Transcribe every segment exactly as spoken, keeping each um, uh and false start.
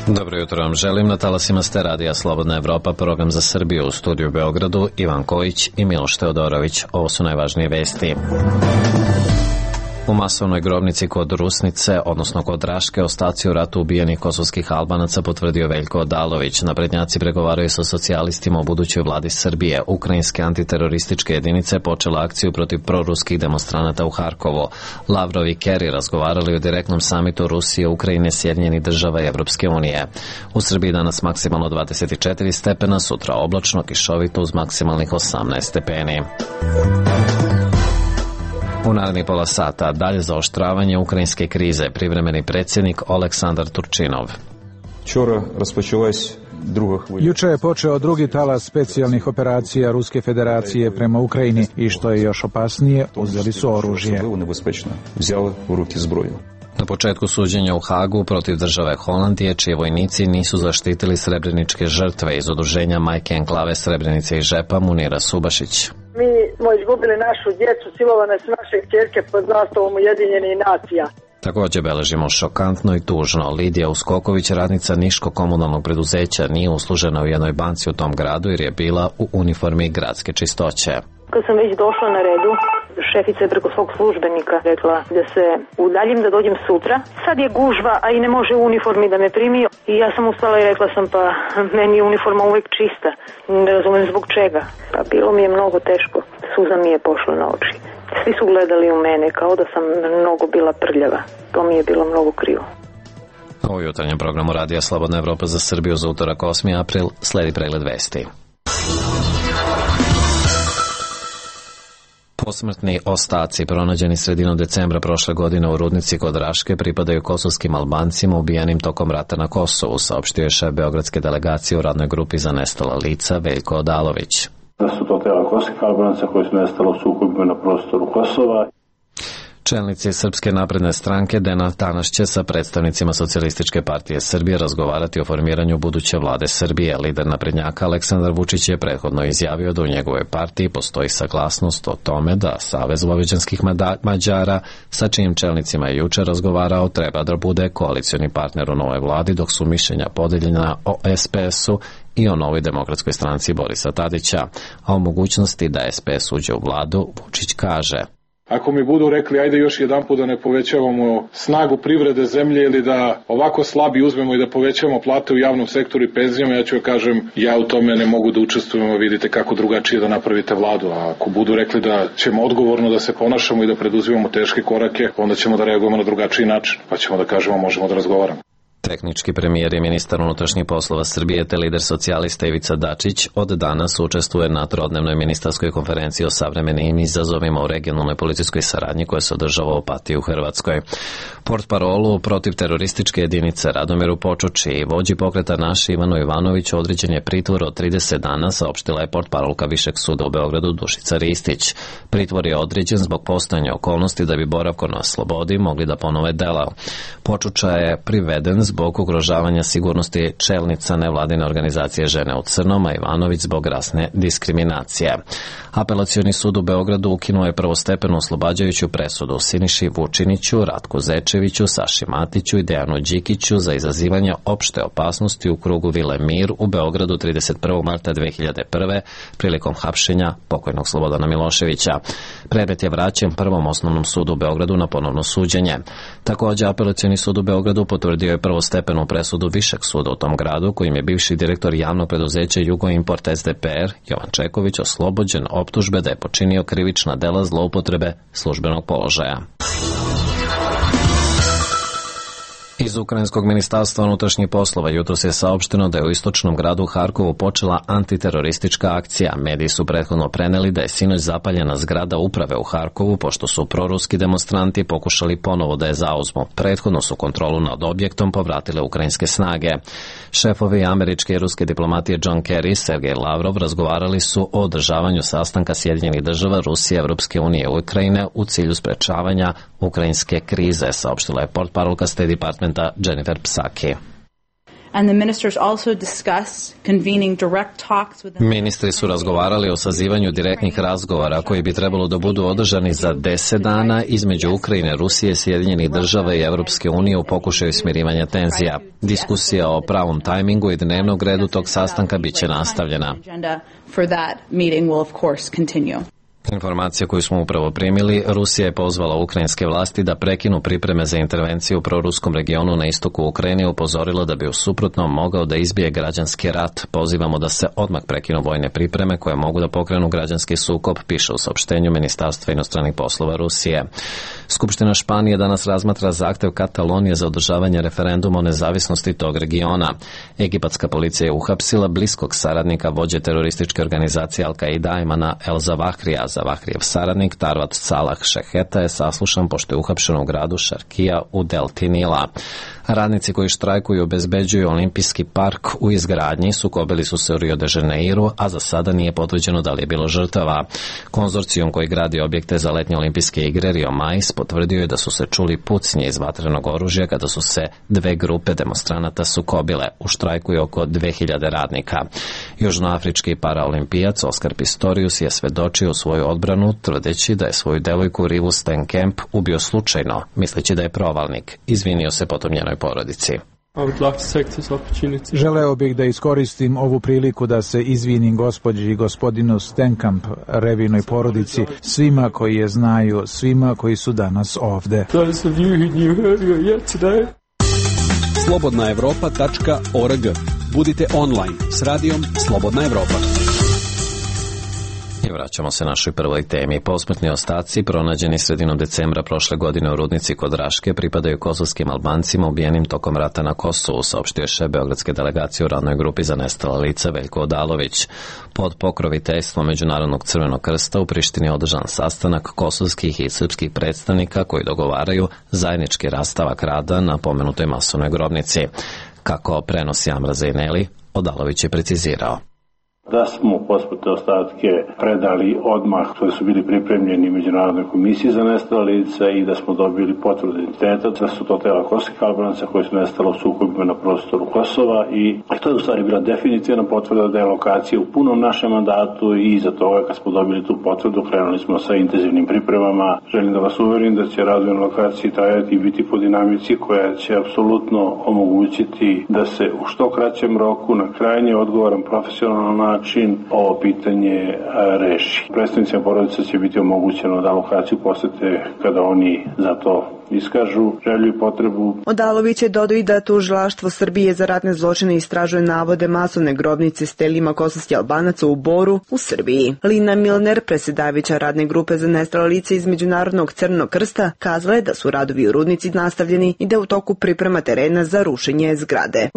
Dobro jutro vam želim, na talasima ste radija Slobodna Evropa, program za Srbiju, u studiju u Beogradu, Ivan Kojić i Miloš Teodorović. Ovo su najvažnije vesti. U masovnoj grobnici kod Rusnice, odnosno kod Raške, ostaci u ratu ubijenih kosovskih Albanaca, potvrdio Veljko Odalović. Naprednjaci pregovaraju sa socijalistima o budućoj vladi Srbije. Ukrajinske antiterorističke jedinice počela akciju protiv proruskih demonstranata u Harkovu. Lavrov i Kerry razgovarali o direktnom samitu Rusije, Ukrajine, Sjedinjenih država i Evropske unije. U Srbiji danas maksimalno dvadeset četiri stepena, sutra oblačno, kišovito uz maksimalnih osamnaest stepeni. U narednih pola sata dalje zaoštravanje ukrajinske krize, privremeni predsjednik Oleksandar Turčinov. Juče je počeo drugi talas specijalnih operacija Ruske federacije prema Ukrajini i što je još opasnije, uzeli su oružje. Na početku suđenja u Hagu protiv države Holandije, čiji vojnici nisu zaštitili srebreničke žrtve iz udruženja Majke Enklave Srebrenice i Žepa, Munira Subašić. Mi smo izgubili našu djecu, silovane su naše kćerke pod zastavom Ujedinjenih nacija. Također beležimo šokantno i tužno. Lidija Uskoković, radnica Niško-komunalnog preduzeća, nije uslužena u jednoj banci u tom gradu jer je bila u uniformi gradske čistoće. Kad sam već došla na redu, šefica je preko svog službenika rekla da se udaljim, da dođem sutra. Sad je gužva, a i ne može u uniformi da me primi. I ja sam ustala i rekla sam, pa meni je uniforma uvijek čista. Ne razumijem zbog čega. Pa bilo mi je mnogo teško. Suza mi je pošla na oči. Svi su gledali u mene kao da sam mnogo bila prljava. To mi je bilo mnogo krivo. U jutarnjem programu Radija Slobodna Evropa za Srbiju za utorak osmi april sledi pregled vesti. Posmrtni ostaci pronađeni sredinom decembra prošle godine u rudnici kod Raške pripadaju kosovskim Albancima ubijenim tokom rata na Kosovu, saopštio je šef beogradske delegacije u radnoj grupi za nestala lica Veljko Odalović. Da su to tela kosovskih Albanaca koji su nestali u sukobima na prostoru Kosova. Čelnici Srpske napredne stranke danas će sa predstavnicima Socijalističke partije Srbije razgovarati o formiranju buduće vlade Srbije. Lider naprednjaka Aleksandar Vučić je prethodno izjavio da u njegovoj partiji postoji saglasnost o tome da Savez vojvođanskih Mađara, sa čijim čelnicima je juče razgovarao, treba da bude koalicioni partner u novoj vladi, dok su mišljenja podeljena o es pe esu i o novoj demokratskoj stranci Borisa Tadića, a o mogućnosti da es pe es uđe u vladu, Vučić kaže: Ako mi budu rekli ajde još jedan put da ne povećavamo snagu privrede zemlje ili da ovako slabi uzmemo i da povećavamo plate u javnom sektoru i penzijama, ja ću joj kažem ja u tome ne mogu da učestvujem, vidite kako drugačije da napravite vladu. A ako budu rekli da ćemo odgovorno da se ponašamo i da preduzimamo teške korake, onda ćemo da reagujemo na drugačiji način, pa ćemo da kažemo možemo da razgovaramo. Tehnički premijer i ministar unutrašnjih poslova Srbije te lider socijalista Ivica Dačić od danas učestvuje na trodnevnoj ministarskoj konferenciji o savremenim izazovima u regionalnoj policijskoj saradnji koja se održava u Opatiji u Hrvatskoj. Portparolu protiv terorističke jedinice Radomiru Počuči i vođi pokreta Naši Ivanu Ivanoviću određen je pritvor od trideset dana, saopštila je portparolka Višeg suda u Beogradu Dušica Ristić. Pritvor je određen zbog postojanja okolnosti da bi boravkom na slobodi mogli da ponove dela. Počuča je priveden zbog ugrožavanja sigurnosti čelnica nevladine organizacije Žene u crnom, a Ivanović zbog rasne diskriminacije. Apelacioni sud u Beogradu ukinuo je prvostepenu oslobađajuću presudu Siniši Vučiniću, Ratku Zečeviću, Saši Matiću i Dejanu Đikiću za izazivanje opšte opasnosti u krugu Vile Mir u Beogradu trideset prvog marta dve hiljade prve prilikom hapšenja pokojnog Slobodana Miloševića. Predmet je vraćen Prvom osnovnom sudu u Beogradu na ponovno suđenje. Također, apelacioni sud u Beogradu potvrdio je prvostepenu presudu Višeg suda u tom gradu, kojim je bivši direktor javnog preduzeća Jugoimport es de pe er Jovan Čeković oslobođen optužbe da je počinio krivična dela zloupotrebe službenog položaja. Iz Ukrajinskog ministarstva unutrašnjih poslova jutros je saopšteno da je u istočnom gradu Harkovu počela antiteroristička akcija. Mediji su prethodno preneli da je sinoć zapaljena zgrada uprave u Harkovu pošto su proruski demonstranti pokušali ponovo da je zauzmu. Prethodno su kontrolu nad objektom povratile ukrajinske snage. Šefovi američke i ruske diplomatije John Kerry i Sergej Lavrov razgovarali su o održavanju sastanka Sjedinjenih država, Rusije, Evropske unije i Ukrajine u cilju sprečavanja ukrajinske krize, saopštila je portparolka State Departmenta Jennifer Psaki. Ministri su razgovarali o sazivanju direktnih razgovora koji bi trebalo da budu održani za deset dana između Ukrajine, Rusije, Sjedinjenih država i Evropske unije u pokušaju smirivanja tenzija. Diskusija o pravom tajmingu i dnevnog redu tog sastanka biće nastavljena. Informacija koju smo upravo primili, Rusija je pozvala ukrajinske vlasti da prekinu pripreme za intervenciju u proruskom regionu na istoku Ukrajine i upozorila da bi u suprotnom mogao da izbije građanski rat. Pozivamo da se odmah prekinu vojne pripreme koje mogu da pokrenu građanski sukob, piše u saopštenju Ministarstva inostranih poslova Rusije. Skupština Španije danas razmatra zahtev Katalonije za održavanje referenduma o nezavisnosti tog regiona. Egipatska policija je uhapsila bliskog saradnika vođe terorističke organizacije Al-Qaida Ajmana El-Zawahrija. Zavahrijev saradnik Tarvat Salah Šeheta je saslušan pošto je uhapšen u gradu Šarkija u delti Nila. Radnici koji štrajkuju obezbeđuju olimpijski park u izgradnji sukobili su se u Rio de Janeiru, a za sada nije potvrđeno da li je bilo žrtava. Konzorcijum koji gradi objekte za letnje olimpijske igre Rio Mais potvrdio je da su se čuli pucnje iz vatrenog oružja kada su se dve grupe demonstranata sukobile. U štrajku je oko dve hiljade radnika. Južnoafrički paraolimpijac Oskar Pistorius je svedočio svoju odbranu tvrdeći da je svoju devojku Rivu Steenkamp ubio slučajno, misleći da je provalnik. Izvinio se potom njenoj porodici. Želeo bih da iskoristim ovu priliku da se izvinim gospođi i gospodinu Steenkamp, Revinoj porodici, svima koji je znaju, svima koji su danas ovde. slobodna evropa tačka org. Budite online s radijom Slobodna Evropa. I vraćamo se našoj prvoj temi. Posmrtni ostaci pronađeni sredinom decembra prošle godine u rudnici kod Raške pripadaju kosovskim Albancima ubijenim tokom rata na Kosovu, saopštio je šef beogradske delegacije u radnoj grupi za nestala lica Veljko Odalović. Pod pokroviteljstvom Međunarodnog crvenog krsta u Prištini je održan sastanak kosovskih i srpskih predstavnika koji dogovaraju zajednički rastavak rada na pomenutoj masovnoj grobnici. Kako prenosi Amra Zejneli, Odalović je precizirao da smo posmrtne ostatke predali odmah koji su bili pripremljeni Međunarodnoj komisiji za nestala lica i da smo dobili potvrdu identiteta, da su to tela kosovskih Albanaca koji su nestala u sukobima na prostoru Kosova i to je u stvari bila definitivna potvrda da je lokacija u punom našem mandatu i iza toga kad smo dobili tu potvrdu krenuli smo sa intenzivnim pripremama. Želim da vas uverim da će razvoj na lokaciji trajati i biti po dinamici koja će apsolutno omogućiti da se u što kraćem roku na krajnje odgovoran profesionalan način ovo pitanje reši. Predstavnicima porodica će biti omogućeno da lokaciju posete kada oni za to iskažu želju i potrebu. Odalović je dodao i da tužilaštvo Srbije za ratne zločine istražuje navode masovne grobnice s telima kosovskih Albanaca u Boru u Srbiji. Lina Milner, predsjedavajuća radne grupe za nestala lica iz Međunarodnog crvenog krsta, kazala je da su radovi u rudnici nastavljeni i da u toku priprema terena za rušenje zgrade.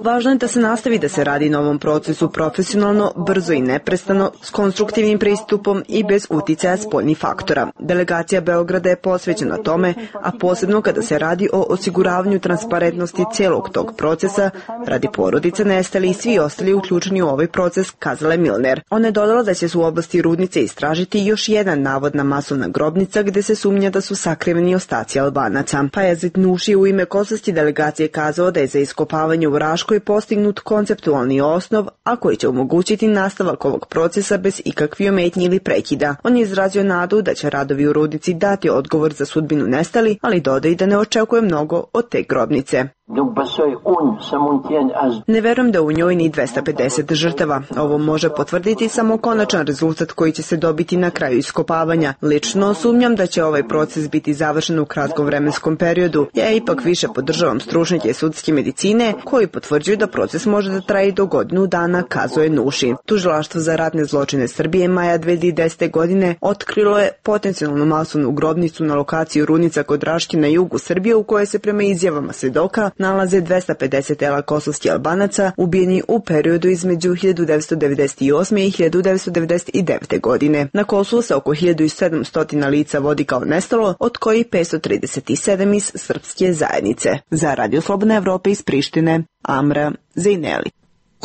Važno je da se nastavi da se radi na ovom procesu profesionalno, brzo i neprestano, s konstruktivnim pristupom i bez uticaja spoljnih faktora. Delegacija Beograda je posvećena tome, a posebno kada se radi o osiguravanju transparentnosti cijelog tog procesa, radi porodica nestali i svi ostali uključeni u ovaj proces, kazala je Milner. Ona je dodala da će se u oblasti rudnice istražiti još jedan navodna masovna grobnica gde se sumnja da su sakriveni ostaci Albanaca. Pajazit Nuši u ime kosovske delegacije kazao da je za iskopavanje u Raškoj postignut konceptualni osnov, a koji će omogućiti nastavak ovog procesa bez ikakvih ometnji ili prekida. On je izrazio nadu da će radovi u rudnici dati odgovor za sudbinu nestali, ali dodaje da ne očekuje mnogo od te grobnice. Ne verujem da u njoj ni dvesta pedeset žrtava. Ovo može potvrditi samo konačan rezultat koji će se dobiti na kraju iskopavanja. Lično sumnjam da će ovaj proces biti završen u kratkom vremenskom periodu. Ja ipak više podržavam stručnjake sudske medicine koji potvrđuju da proces može da traje do godinu dana, kazuje Nuši. Tužilaštvo za ratne zločine Srbije maja dve hiljade desete. godine otkrilo je potencijalnu masovnu grobnicu na lokaciji Rudnica kod Raške na jugu Srbije u kojoj se prema izjavama svedoka nalaze dvesta pedeset tela kosovskih Albanaca ubijeni u periodu između hiljadu devetsto devedeset osme. i hiljadu devetsto devedeset devete. godine. Na Kosovu se oko hiljadu sedamsto lica vodi kao nestalo, od kojih petsto trideset sedam iz srpske zajednice. Za Radio Slobodna Evropa iz Prištine, Amra Zejneli.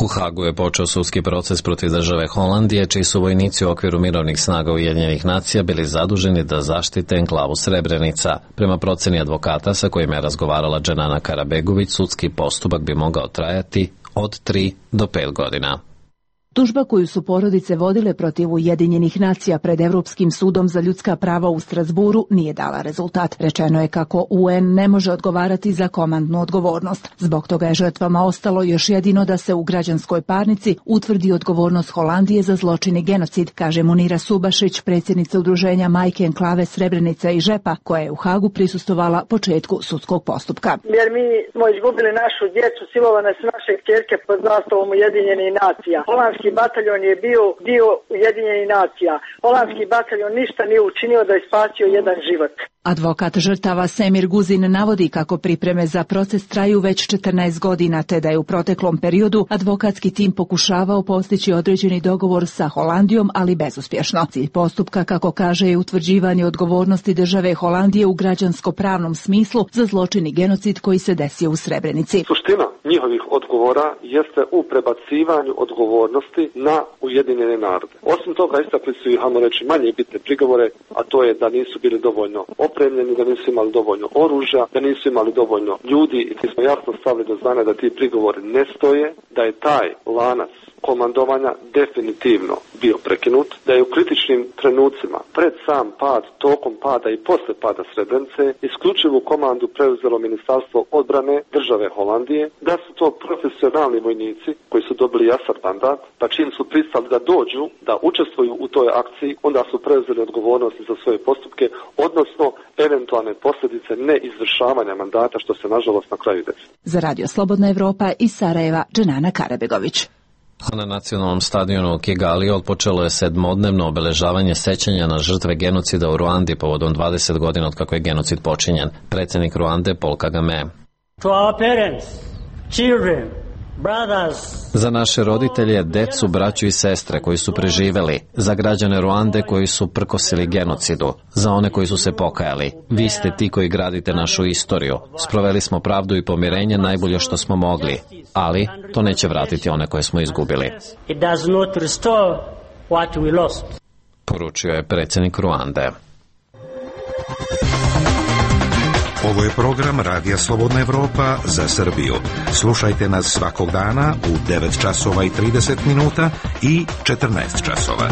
U Hagu je počeo sudski proces protiv države Holandije, čiji su vojnici u okviru mirovnih snaga Ujedinjenih nacija bili zaduženi da zaštite enklavu Srebrenica. Prema proceni advokata sa kojima je razgovarala Dženana Karabegović, sudski postupak bi mogao trajati od tri do pet godina. Tužba koju su porodice vodile protiv Ujedinjenih nacija pred Evropskim sudom za ljudska prava u Strasburu nije dala rezultat. Rečeno je kako U N ne može odgovarati za komandnu odgovornost. Zbog toga je žrtvama ostalo još jedino da se u građanskoj parnici utvrdi odgovornost Holandije za zločin i genocid, kaže Munira Subašić, predsjednica udruženja Majke enklave Srebrenica i Žepa, koja je u Hagu prisustvovala početku sudskog postupka. Jer mi smo izgubili našu djecu, silovane su naše kćerke pod zastavom Ujedinjenih nacija. Holandski bataljon je bio dio Ujedinjenih nacija. Holandski bataljon ništa nije učinio da je spasio jedan život. Advokat žrtava Semir Guzin navodi kako pripreme za proces traju već četrnaest godina, te da je u proteklom periodu advokatski tim pokušavao postići određeni dogovor sa Holandijom, ali bezuspješno. Cilj postupka, kako kaže, je utvrđivanje odgovornosti države Holandije u građansko-pravnom smislu za zločin i genocid koji se desio u Srebrenici. Suština njihovih odgovora jeste u prebacivanju odgovornosti na Ujedinjene narode. Osim toga, istakli su i, hajmo reći, manje bitne prigovore, a to je da nisu bili dovoljno opremljeni, da nisu imali dovoljno oružja, da nisu imali dovoljno ljudi, i ti smo jasno stavili do znanja da ti prigovori ne stoje, da je taj lanac komandovanja definitivno bio prekinut, da je u kritičnim trenucima pred sam pad, tokom pada i posle pada Srebrenice isključivu komandu preuzelo Ministarstvo odbrane države Holandije, da su to profesionalni vojnici koji su dobili jasan mandat, pa čim su pristali da dođu, da učestvuju u toj akciji, onda su preuzeli odgovornosti za svoje postupke, odnosno eventualne posljedice neizvršavanja mandata, što se nažalost na kraju desi. Za Radio Slobodna Evropa iz Sarajeva, Dženana Karabegović. A na nacionalnom stadionu u Kigali otpočelo je sedmodnevno obeležavanje sećanja na žrtve genocida u Ruandi povodom dvadeset godina od kako je genocid počinjen. Predsjednik Ruande Paul Kagame. To our parents, children, za naše roditelje, decu, braću i sestre koji su preživeli, za građane Ruande koji su prkosili genocidu, za one koji su se pokajali. Vi ste ti koji gradite našu istoriju. Sproveli smo pravdu i pomirenje najbolje što smo mogli, ali to neće vratiti one koje smo izgubili. Poručio je predsjednik Ruande. Ovo je program Radija Slobodna Evropa za Srbiju. Slušajte nas svakog dana u devet časova i trideset minuta i četrnaest časova.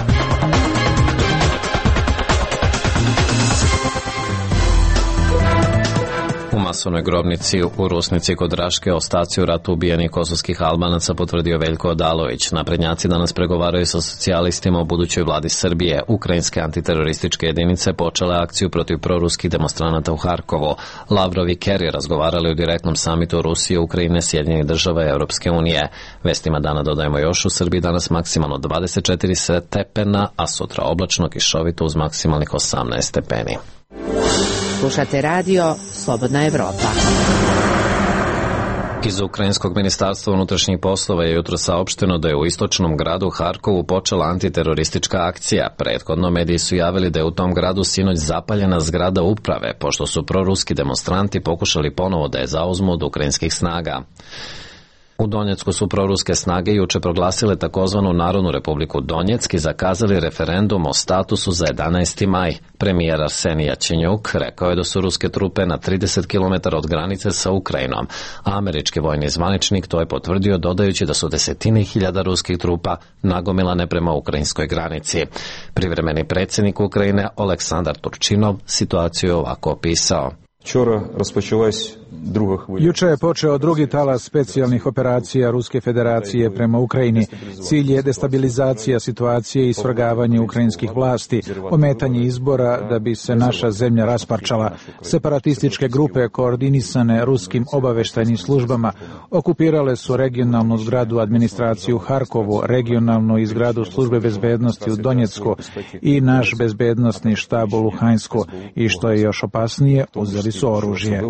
U masovnoj grobnici u Rusnici kod Raške ostaci u ratu ubijenih kosovskih Albanaca potvrdio Veljko Odalović. Naprednjaci danas pregovaraju sa socijalistima o budućoj vladi Srbije. Ukrajinske antiterorističke jedinice počele akciju protiv proruskih demonstranata u Harkovu. Lavrov i Kerry razgovarali u direktnom samitu Rusije, Ukrajine, Sjedinjenih država i Europske unije. Vestima dana dodajemo još: u Srbiji danas maksimalno dvadeset četiri stepena, a sutra oblačno, kišovito uz maksimalnih osamnaest stepeni. Slušate radio Slobodna Evropa. Iz Ukrajinskog ministarstva unutrašnjih poslova je jutro saopšteno da je u istočnom gradu Harkovu počela antiteroristička akcija. Prethodno mediji su javili da je u tom gradu sinoć zapaljena zgrada uprave, pošto su proruski demonstranti pokušali ponovo da je zauzmu od ukrajinskih snaga. U Donjecku su proruske snage juče proglasile takozvanu Narodnu republiku Donjeck i zakazali referendum o statusu za jedanaesti maj. Premijer Arsenij Jačenjuk rekao je da su ruske trupe na trideset kilometara od granice sa Ukrajinom, a američki vojni zvaničnik to je potvrdio dodajući da su desetine hiljada ruskih trupa nagomilane prema ukrajinskoj granici. Privremeni predsjednik Ukrajine Oleksandar Turčinov situaciju je ovako opisao. Juče je počeo drugi talas specijalnih operacija Ruske federacije prema Ukrajini. Cilj je destabilizacija situacije i svrgavanje ukrajinskih vlasti, ometanje izbora da bi se naša zemlja rasparčala. Separatističke grupe koordinisane ruskim obaveštajnim službama okupirale su regionalnu zgradu administraciju u Harkovu, regionalnu i zgradu službe bezbednosti u Donjecku i naš bezbednostni štab u Luhansku i, što je još opasnije, uzeli su oružje.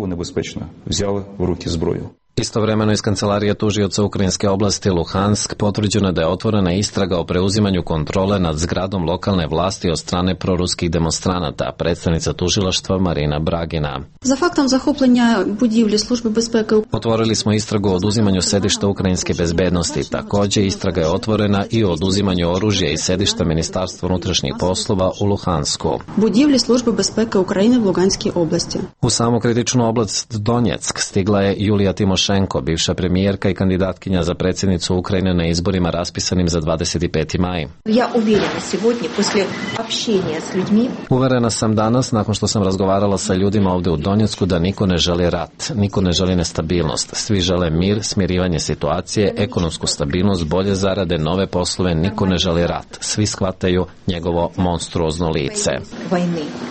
Istovremeno iz kancelarije tužioca ukrajinske oblasti Luhansk potvrđeno da je otvorena istraga o preuzimanju kontrole nad zgradom lokalne vlasti od strane proruskih demonstranata, predstavnica tužilaštva Marina Bragina. Za faktom захоплення будівлі Служби безпеки. Otvorili smo istragu o oduzimanju sedišta ukrajinske bezbednosti. Takođe, istraga je otvorena i o oduzimanju oružja iz sedišta Ministarstva unutrašnjih poslova u Luhansku. Будівлі Служби безпеки України в Луганській області. U samu kritičnu oblast Donjeck stigla je Julija Timošenko, bivša premijerka i kandidatkinja za predsjednicu Ukrajine na izborima raspisanim za dvadeset peti maj. Ja uverena сегодня после общения с людьми. Uverena sam danas, nakon što sam razgovarala sa ljudima ovde u Donjecku, da niko ne želi rat, niko ne želi nestabilnost. Svi žele mir, smirivanje situacije, ekonomsku stabilnost, bolje zarade, nove poslove, niko ne želi rat. Svi shvataju njegovo monstruozno lice.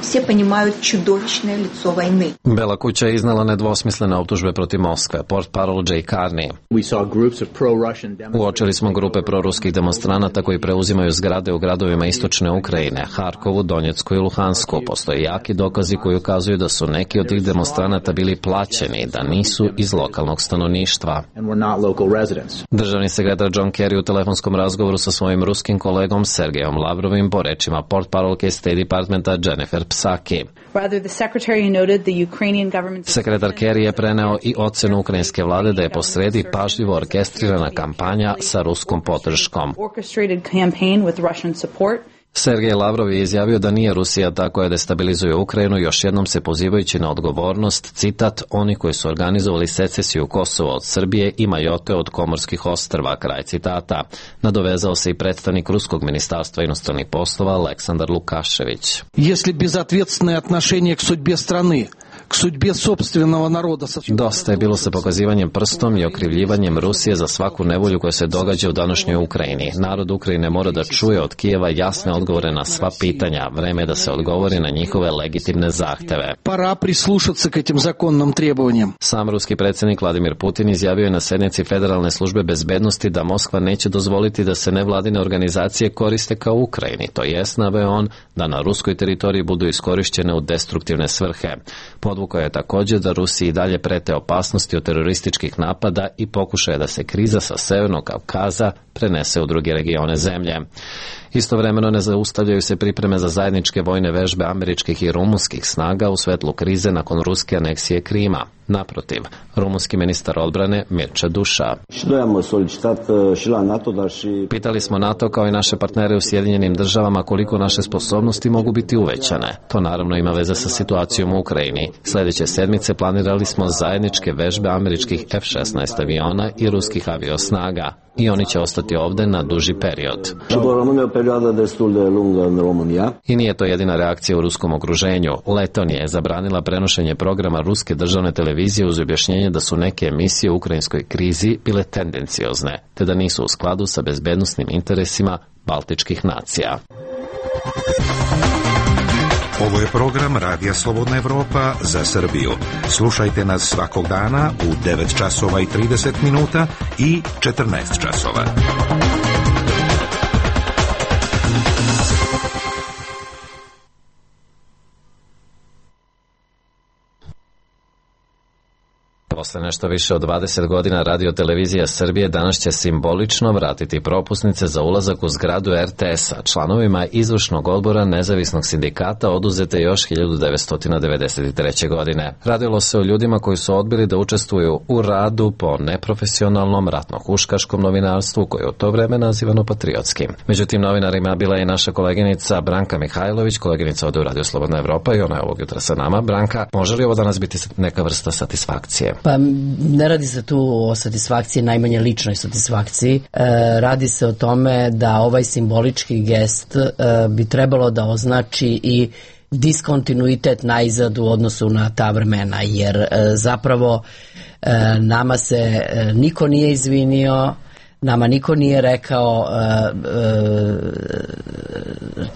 Все понимают чудовищное лицо войны. Bela kuća je iznala nedvosmislene optužbe protiv Moskve. Portparol Jay Carney. Uočili smo grupe proruskih demonstranata koji preuzimaju zgrade u gradovima istočne Ukrajine, Harkovu, Donjecku i Luhansku. Postoje jaki dokazi koji ukazuju da su neki od tih demonstranata bili plaćeni, da nisu iz lokalnog stanovništva. Državni sekretar John Kerry u telefonskom razgovoru sa svojim ruskim kolegom Sergejom Lavrovim po rečima portparolke State Departmenta Jennifer Psaki. Sekretar Kerry je preneo i ocenu ukrajinske vlade da je posredi pažljivo orkestrirana kampanja sa ruskom podrškom. Sergej Lavrov je izjavio da nije Rusija ta koja destabilizuje Ukrajinu, još jednom se pozivajući na odgovornost, citat, oni koji su organizovali secesiju Kosova od Srbije i Majote od Komorskih ostrva, kraj citata. Nadovezao se i predstavnik Ruskog ministarstva inostranih poslova Aleksandar Lukašević. Если безответственное отношение к судьбе страны, к судьбе собственного народа. Dosta je bilo sa pokazivanjem prstom i okrivljivanjem Rusije za svaku nevolju koja se događa u današnjoj Ukrajini. Narod Ukrajine mora da čuje od Kijeva jasne odgovore na sva pitanja. Vreme je da se odgovori na njihove legitimne zahteve. Pora прислушаться к этим законным требованиям. Sam ruski predsjednik Vladimir Putin izjavio je na sednici Federalne službe bezbednosti da Moskva neće dozvoliti da se nevladine organizacije koriste kao u Ukrajini. To jest, naveo on, da na ruskoj teritoriji budu iskorišćene u destruktivne svrhe. Podvukao je također da Rusiji i dalje prete opasnosti od terorističkih napada i pokušaje da se kriza sa Severnog Kavkaza prenese u druge regione zemlje. Istovremeno ne zaustavljaju se pripreme za zajedničke vojne vežbe američkih i rumunskih snaga u svetlu krize nakon ruske aneksije Krima. Naprotiv, rumunski ministar odbrane Mircea Duša. Pitali smo NATO kao i naše partnere u Sjedinjenim državama koliko naše sposobnosti mogu biti uvećane. To naravno ima veze sa situacijom u Ukrajini. Sljedeće sedmice planirali smo zajedničke vežbe američkih F šesnaest aviona i ruskih aviosnaga. I oni će ostati ovde na duži period. I nije to jedina reakcija u ruskom okruženju. Letonija je zabranila prenošenje programa ruske državne televizije uz objašnjenje da su neke emisije u ukrajinskoj krizi bile tendenciozne, te da nisu u skladu sa bezbednosnim interesima baltičkih nacija. Ovo je program Radija Slobodna Evropa za Srbiju. Slušajte nas svakog dana u devet časova i trideset minuta i četrnaest časova. Posle nešto više od dvadeset godina Radio Televizija Srbije danas će simbolično vratiti propusnice za ulazak u zgradu er te es-a. Članovima izvršnog odbora nezavisnog sindikata oduzete još hiljadu devetsto devedeset treće. godine. Radilo se o ljudima koji su odbili da učestvuju u radu po neprofesionalnom ratno-huškaškom novinarstvu koje je u to vreme nazivano patriotskim. Međutim, novinarima bila je i naša koleginica Branka Mihajlović, koleginica ovde u Radio Slobodna Evropa i ona je ovog jutra sa nama. Branka, može li ovo danas biti neka vrsta satisfakcije? Pa ne radi se tu o satisfakciji, najmanje ličnoj satisfakciji. E, radi se o tome da ovaj simbolički gest e, bi trebalo da označi i diskontinuitet najzad u odnosu na ta vremena, jer e, zapravo e, nama se e, niko nije izvinio, Nama niko nije rekao uh, uh,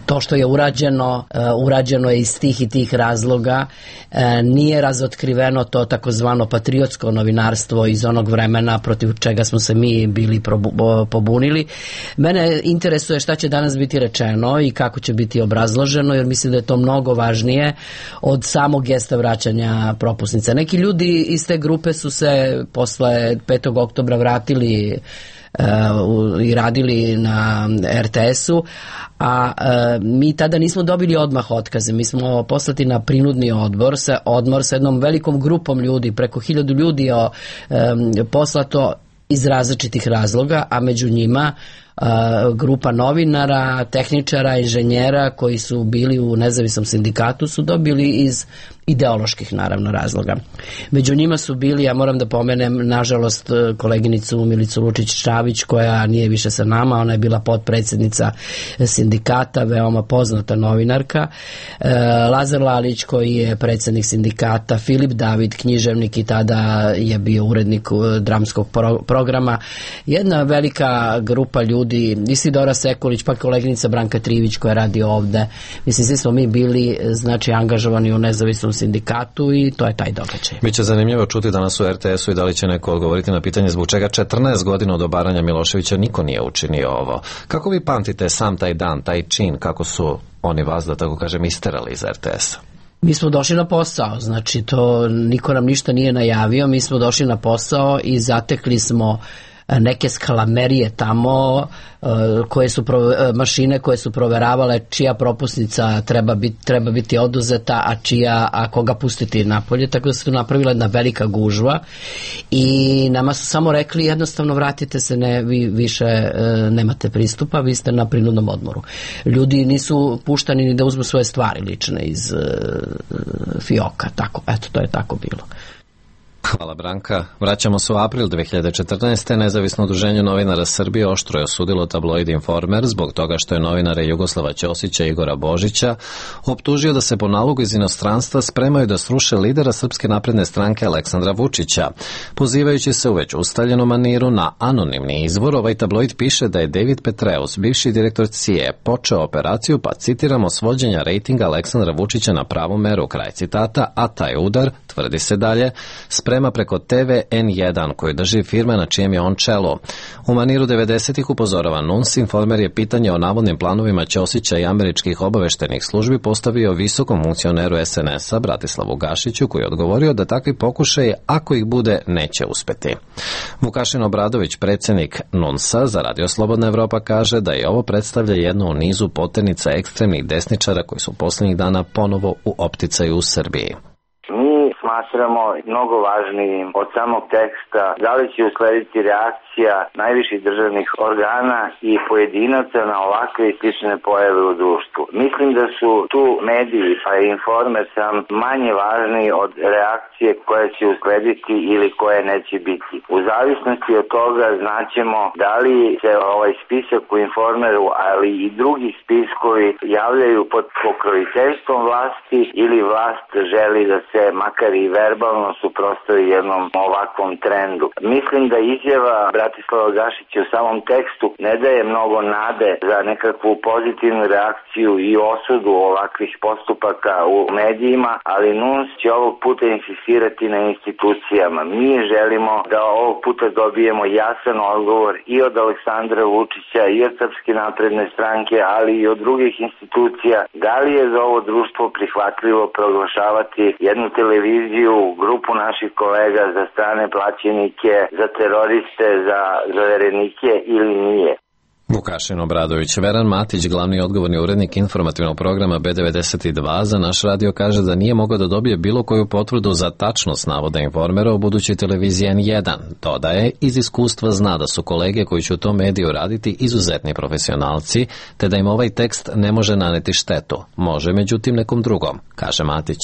to što je urađeno, uh, urađeno je iz tih i tih razloga. Uh, nije razotkriveno to takozvano patriotsko novinarstvo iz onog vremena protiv čega smo se mi bili probu, pobunili. Mene interesuje šta će danas biti rečeno i kako će biti obrazloženo, jer mislim da je to mnogo važnije od samog gesta vraćanja propusnica. Neki ljudi iz te grupe su se posle petog oktobra vratili Uh, i radili na er te esu, a uh, mi tada nismo dobili odmah otkaze. Mi smo poslati na prinudni odbor sa, odmor sa jednom velikom grupom ljudi, preko hiljadu ljudi je um, poslato iz različitih razloga, a među njima uh, grupa novinara, tehničara, inženjera koji su bili u nezavisnom sindikatu su dobili iz ideoloških naravno razloga. Među njima su bili, ja moram da pomenem nažalost koleginicu Milicu Lučić-Čavić koja nije više sa nama, ona je bila potpredsjednica sindikata, veoma poznata novinarka, e, Lazar Lalić koji je predsjednik sindikata, Filip David, književnik i tada je bio urednik dramskog pro, programa, jedna velika grupa ljudi, Isidora Sekulić, pa koleginica Branka Trivić koja radi ovde. Mislim, svi smo mi bili znači angažovani u nezavisnom sindikatu i to je taj događaj. Biće zanimljivo čuti danas u er te esu i da li će neko odgovoriti na pitanje zbog čega četrnaest godina od obaranja Miloševića niko nije učinio ovo. Kako vi pamtite sam taj dan, taj čin, kako su oni vas, da tako kažem, isterali iz er te esa? Mi smo došli na posao, znači to niko nam ništa nije najavio, mi smo došli na posao i zatekli smo neke skalamerije tamo koje su mašine koje su proveravale čija propusnica treba biti, treba biti oduzeta, a čija, a koga pustiti napolje, tako da se tu napravila jedna velika gužva i nama su samo rekli jednostavno vratite se, ne, vi više nemate pristupa, vi ste na prinudnom odmoru. Ljudi nisu puštani ni da uzmu svoje stvari lične iz fioka, tako, eto, to je tako bilo. Hvala Branka. Vraćamo se u april dve hiljade četrnaeste. Nezavisno udruženje novinara Srbije oštro je osudilo tabloid Informer zbog toga što je novinare Jugoslava Ćosića i Igora Božića optužio da se po nalogu iz inostranstva spremaju da sruše lidera Srpske napredne stranke Aleksandra Vučića. Pozivajući se u već ustaljenom maniru na anonimni izvor, ovaj tabloid piše da je David Petreus, bivši direktor C I E, počeo operaciju, pa citiramo, svođenja rejtinga Aleksandra Vučića na pravu meru, kraj citata, a taj udar, tvrdi se dalje, sprema preko te ve en jedan koju drži firma na čijem je on čelo. U maniru devedesetih upozorava N U N S, Informer je pitanje o navodnim planovima Ćosića i američkih obaveštenih službi postavio visokom funkcioneru es en esa Bratislavu Gašiću, koji je odgovorio da takvi pokušaji, ako ih bude, neće uspeti. Vukašin Obradović, predsjednik N U N S-a za Radio Slobodna Evropa, kaže da je ovo predstavlja jednu u nizu poternica ekstremnih desničara koji su posljednjih dana ponovo u opticaju u Srbiji. Smatramo mnogo važnijim od samog teksta da li će uslediti reakcija najviših državnih organa i pojedinaca na ovakve i slične pojave u društvu. Mislim da su tu mediji pa i Informer sam manje važni od reakcije koja će uslediti ili koje neće biti. U zavisnosti od toga znaćemo da li se ovaj spisak u Informeru, ali i drugi spiskovi javljaju pod pokroviteljstvom vlasti ili vlast želi da se makar i verbalno suprotstavi jednom ovakvom trendu. Mislim da izjava Bratislava Gašića u samom tekstu ne daje mnogo nade za nekakvu pozitivnu reakciju i osudu ovakvih postupaka u medijima, ali N U N S će ovog puta insistirati na institucijama. Mi želimo da ovog puta dobijemo jasan odgovor i od Aleksandra Vučića i od Srpske napredne stranke, ali i od drugih institucija. Da li je za ovo društvo prihvatljivo proglašavati jednu televiziju, grupu naših kolega za strane plaćenike, za teroriste, za zaverenike ili nije? Vukašin Obradović. Veran Matić, glavni odgovorni urednik informativnog programa be devedeset dva za naš radio, kaže da nije mogao da dobije bilo koju potvrdu za tačnost navoda Informera o budućoj televiziji en jedan. Dodaje, iz iskustva zna da su kolege koji će u tom mediju raditi izuzetni profesionalci, te da im ovaj tekst ne može naneti štetu. Može, međutim, nekom drugom, kaže Matić.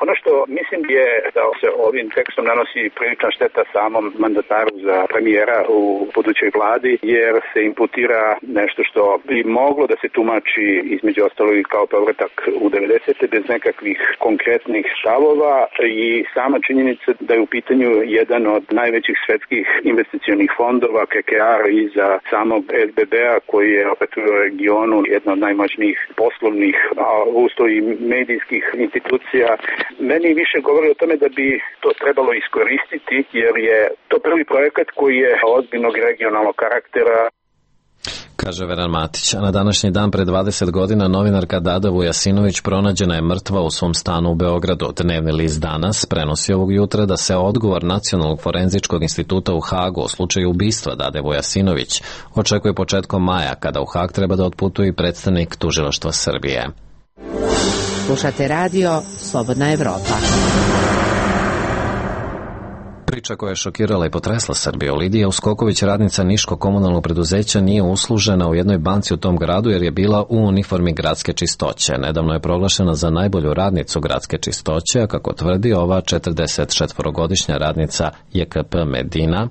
Ono što mislim Mislim je da se ovim tekstom nanosi prilična šteta samom mandataru za premijera u budućoj vladi, jer se imputira nešto što bi moglo da se tumači između ostalog kao povratak u devedesete bez nekakvih konkretnih stavova i sama činjenica da je u pitanju jedan od najvećih svetskih investicionih fondova K K R iza samog S B B-a koji je opet u regionu jedna od najmoćnijih poslovnih, a usto i medijskih institucija. Meni više govori o tome da bi to trebalo iskoristiti jer je to prvi projekat koji je ozbiljnog regionalnog karaktera. Kaže Veran Matić, a na današnji dan pre dvadeset godina novinarka Dada Vujasinović pronađena je mrtva u svom stanu u Beogradu. Dnevni list Danas prenosi ovog jutra da se odgovor Nacionalnog forenzičkog instituta u Hagu o slučaju ubistva Dade Vujasinović očekuje početkom maja, kada u Hag treba da otputuje i predstavnik tužilaštva Srbije. Slušate radio Slobodna Evropa. Priča koja je šokirala i potresla Srbiju. Lidija Uskoković, radnica Niškog komunalnog preduzeća, nije uslužena u jednoj banci u tom gradu jer je bila u uniformi gradske čistoće. Nedavno je proglašena za najbolju radnicu gradske čistoće, a kako tvrdi ova četrdesetčetvorogodišnja radnica J K P Medina,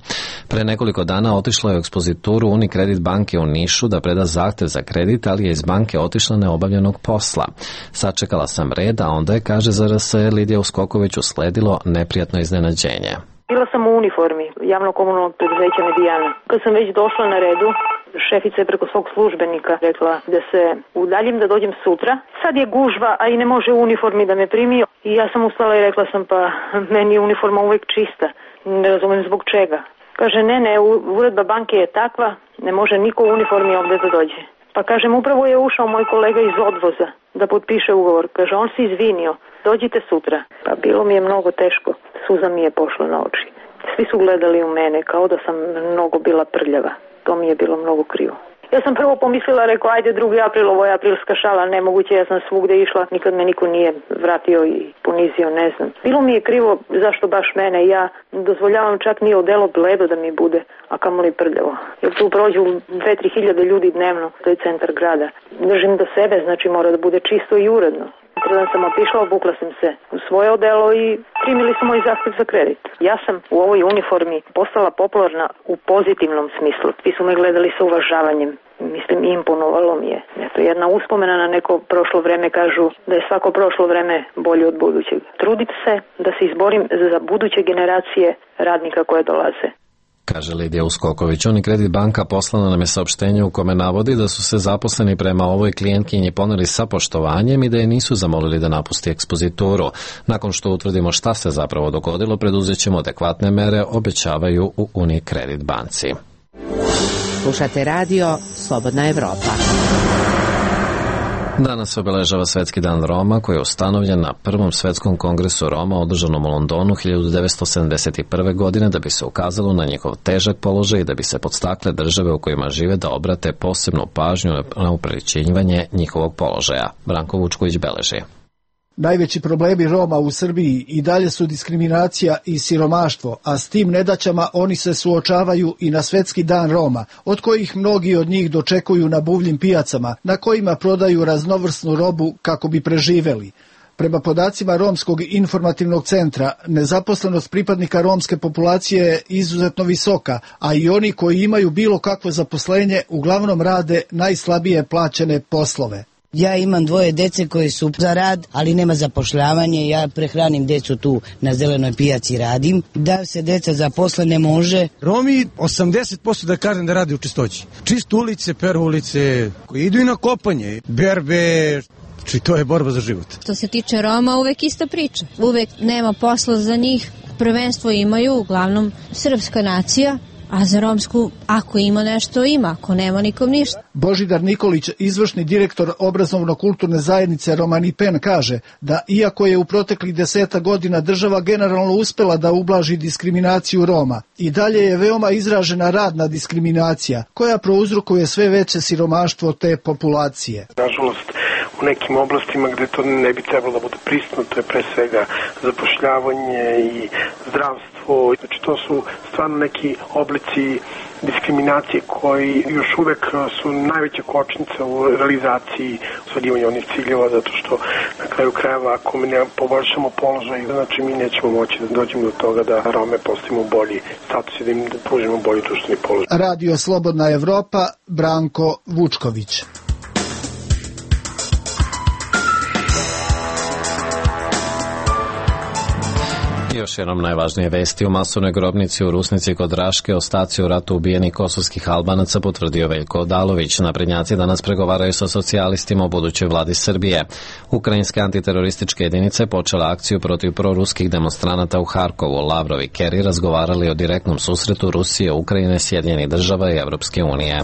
pre nekoliko dana otišla je u ekspozituru Unikredit banke u Nišu da preda zahtev za kredit, ali je iz banke otišla neobavljenog posla. Sačekala sam red, a onda je, kaže za R S Lidija Uskoković, usledilo neprijatno iznenađenje. Bila sam u uniformi javnog komunalnog preduzeća Medijana. Kad sam već došla na redu, šefica je preko svog službenika rekla da se udaljim, da dođem sutra. Sad je gužva, a i ne može u uniformi da me primi. I ja sam ustala i rekla sam, pa meni je uniforma uvek čista. Ne razumem zbog čega. Kaže, ne, ne, uredba banke je takva, ne može niko u uniformi ovde da dođe. Pa kažem, upravo je ušao moj kolega iz odvoza da potpiše ugovor. Kaže, on se izvinio, dođite sutra. Pa bilo mi je mnogo teško, suza mi je pošla na oči. Svi su gledali u mene kao da sam mnogo bila prljava. To mi je bilo mnogo krivo. Ja sam prvo pomislila, rekao, ajde drugi april, ovo je aprilska šala, nemoguće, ja sam svugde išla, nikad me niko nije vratio i ponizio, ne znam. Bilo mi je krivo zašto baš mene, ja dozvoljavam čak ni odelo bledo da mi bude, a kamoli prljavo. Jer tu prođu dve tri hiljade ljudi dnevno, to je centar grada. Držim do sebe, znači mora da bude čisto i uredno. Predan sam otišla, obukla sam se u svoje odelo i primili su moj zahtev za kredit. Ja sam u ovoj uniformi postala popularna u pozitivnom smislu. Svi su me gledali sa uvažavanjem. Mislim, imponovalo mi je. Eto, jedna uspomena na neko prošlo vreme, kažu da je svako prošlo vreme bolje od budućeg. Trudim se da se izborim za buduće generacije radnika koje dolaze. Kaže Lidija Uskoković. Unikredit banka poslala nam je saopštenje u kome navodi da su se zaposleni prema ovoj klijentkinji poneli sa poštovanjem i da je nisu zamolili da napusti ekspozituru. Nakon što utvrdimo šta se zapravo dogodilo, preduzet ćemo adekvatne mere, obećavaju u Unikredit banci. Slušate radio Slobodna Evropa. Danas se obeležava Svetski dan Roma, koji je ustanovljen na prvom svetskom kongresu Roma održanom u Londonu hiljadu devetsto sedamdeset prve. godine da bi se ukazalo na njihov težak položaj i da bi se podstakle države u kojima žive da obrate posebnu pažnju na upriličivanje njihovog položaja. Branko Vučković beleži. Najveći problemi Roma u Srbiji i dalje su diskriminacija i siromaštvo, a s tim nedaćama oni se suočavaju i na Svetski dan Roma, od kojih mnogi od njih dočekuju na buvljim pijacama, na kojima prodaju raznovrsnu robu kako bi preživeli. Prema podacima Romskog informativnog centra, nezaposlenost pripadnika romske populacije je izuzetno visoka, a i oni koji imaju bilo kakvo zaposlenje uglavnom rade najslabije plaćene poslove. Ja imam dvoje dece koji su za rad, ali nema zapošljavanje. Ja prehranim decu tu na zelenoj pijaci radim. Da se deca zaposle ne može. Romi osamdeset posto da kažem da radi u čistoći. Čistu ulice, peru ulice, koji idu i na kopanje, berbe, či to je borba za život. Što se tiče Roma, uvek ista priča. Uvek nema posla za njih. Prvenstvo imaju uglavnom srpska nacija. A za romsku, ako ima nešto, ima, ako nema, nikom ništa. Božidar Nikolić, izvršni direktor obrazovno-kulturne zajednice Romani Pen, kaže da iako je u proteklih deseta godina država generalno uspela da ublaži diskriminaciju Roma, i dalje je veoma izražena radna diskriminacija, koja prouzrokuje sve veće siromaštvo te populacije. Nažalost, u nekim oblastima gde to ne bi trebalo da bude prisutno, to je pre svega zapošljavanje i zdravstvo. Znači, to su stvarno neki oblici diskriminacije koji još uvek su najveća kočnica u realizaciji ostvarivanja onih ciljeva, zato što na kraju krajeva ako mi ne poboljšamo položaj, znači mi nećemo moći da dođemo do toga da Rome postavimo bolji status i da im pružimo bolji društveni položaj. Radio Slobodna Evropa, Branko Vučković. Još jednom najvažnije vesti. U masovnoj grobnici u Rusnici kod Raške ostaci u ratu ubijenih kosovskih Albanaca potvrdio Veljko Odalović. Naprednjaci danas pregovaraju sa socijalistima o budućoj vladi Srbije. Ukrajinske antiterorističke jedinice počela akciju protiv proruskih demonstranata u Harkovu. Lavrov i Kerry razgovarali o direktnom susretu Rusije, Ukrajine, Sjedinjenih država i Evropske unije.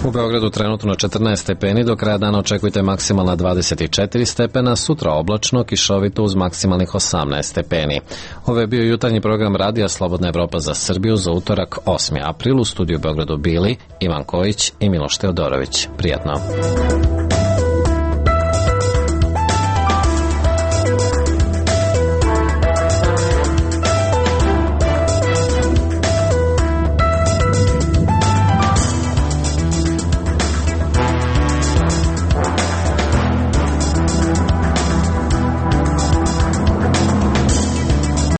U Beogradu trenutno četrnaest stepeni, do kraja dana očekujte maksimalna dvadeset četiri stepena, sutra oblačno, kišovito uz maksimalnih osamnaest stepeni. Ovo je bio jutarnji program Radija Slobodna Evropa za Srbiju za utorak osmi april. U studiju u Beogradu bili Ivan Kojić i Miloš Teodorović. Prijatno.